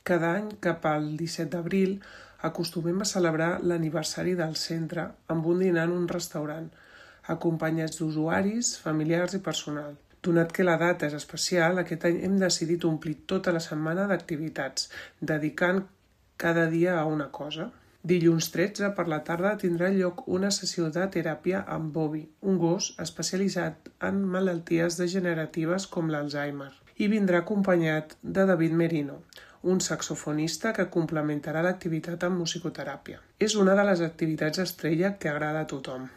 Cada any, cap al 17 d'abril, acostumem a celebrar l'aniversari del centre amb un dinar en un restaurant, acompanyats d'usuaris, familiars i personal. Donat que la data és especial, aquest any hem decidit omplir tota la setmana d'activitats, dedicant cada dia a una cosa. Dilluns 13 per la tarda tindrà lloc una sessió de teràpia amb Bobby, un gos especialitzat en malalties degeneratives com l'Alzheimer, i vindrà acompanyat de David Merino, un saxofonista que complementarà l'activitat amb musicoteràpia. És una de les activitats estrella que agrada a tothom.